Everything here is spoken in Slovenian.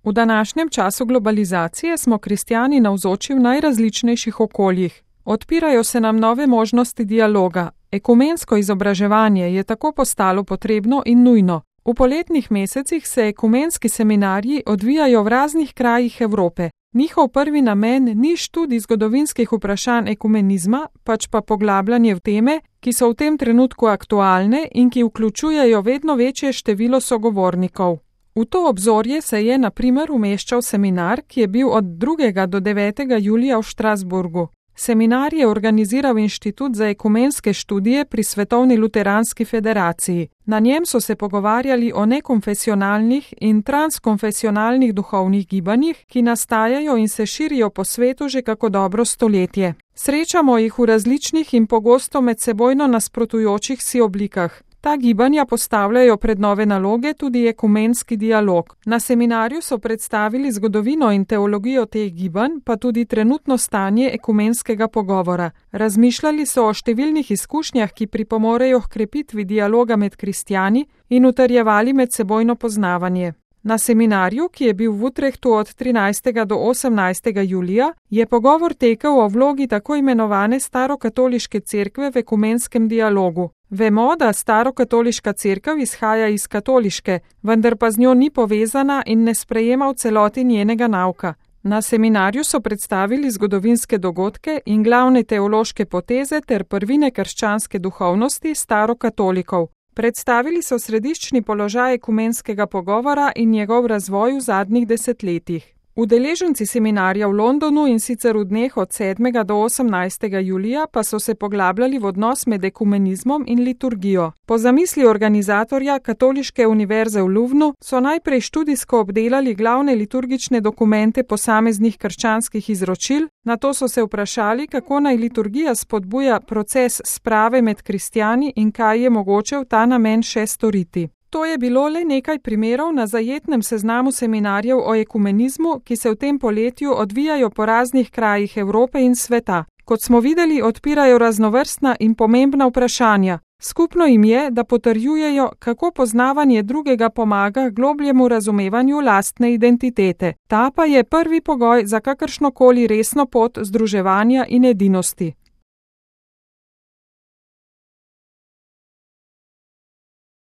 V današnjem času globalizacije smo kristjani navzoči v najrazličnejših okoljih. Odpirajo se nam nove možnosti dialoga. Ekumensko izobraževanje je tako postalo potrebno in nujno. V poletnih mesecih se ekumenski seminarji odvijajo v raznih krajih Evrope. Njihov prvi namen ni študij zgodovinskih vprašanj ekumenizma, pač pa poglabljanje v teme, ki so v tem trenutku aktualne in ki vključujejo vedno večje število sogovornikov. V to obzorje se je na primer umeščal seminar, ki je bil od 2. do 9. julija v Štrasburgu. Seminar je organiziral Inštitut za ekumenske študije pri Svetovni luteranski federaciji. Na njem so se pogovarjali o nekonfesionalnih in transkonfesionalnih duhovnih gibanjih, ki nastajajo in se širijo po svetu že kako dobro stoletje. Srečamo jih v različnih in pogosto medsebojno nasprotujočih si oblikah. Ta gibanja postavljajo pred nove naloge tudi ekumenski dialog. Na seminarju so predstavili zgodovino in teologijo teh gibanj, pa tudi trenutno stanje ekumenskega pogovora. Razmišljali so o številnih izkušnjah, ki pripomorejo h krepitvi dialoga med kristjani in utrjevali medsebojno poznavanje. Na seminarju, ki je bil v Utrehtu od 13. do 18. julija, je pogovor tekel o vlogi tako imenovane starokatoliške cerkve v ekumenskem dialogu. Vemo, da starokatoliška cerkev izhaja iz katoliške, vendar pa z njo ni povezana in ne sprejema v celoti njenega nauka. Na seminarju so predstavili zgodovinske dogodke in glavne teološke poteze ter prvine krščanske duhovnosti starokatolikov. Predstavili so središčni položaj ekumenskega pogovora in njegov razvoj v zadnjih desetletjih. Udeleženci seminarja v Londonu in sicer v dneh od 7. do 18. julija pa so se poglabljali v odnos med ekumenizmom in liturgijo. Po zamisli organizatorja Katoliške univerze v Louvnu so najprej študijsko obdelali glavne liturgične dokumente posameznih krščanskih izročil, nato so se vprašali, kako naj liturgija spodbuja proces sprave med kristjani in kaj je mogoče v ta namen še storiti. To je bilo le nekaj primerov na zajetnem seznamu seminarjev o ekumenizmu, ki se v tem poletju odvijajo po raznih krajih Evrope in sveta. Kot smo videli, odpirajo raznovrstna in pomembna vprašanja. Skupno jim je, da potrjujejo, kako poznavanje drugega pomaga globljemu razumevanju lastne identitete. Ta pa je prvi pogoj za kakršnokoli resno pot združevanja in edinosti.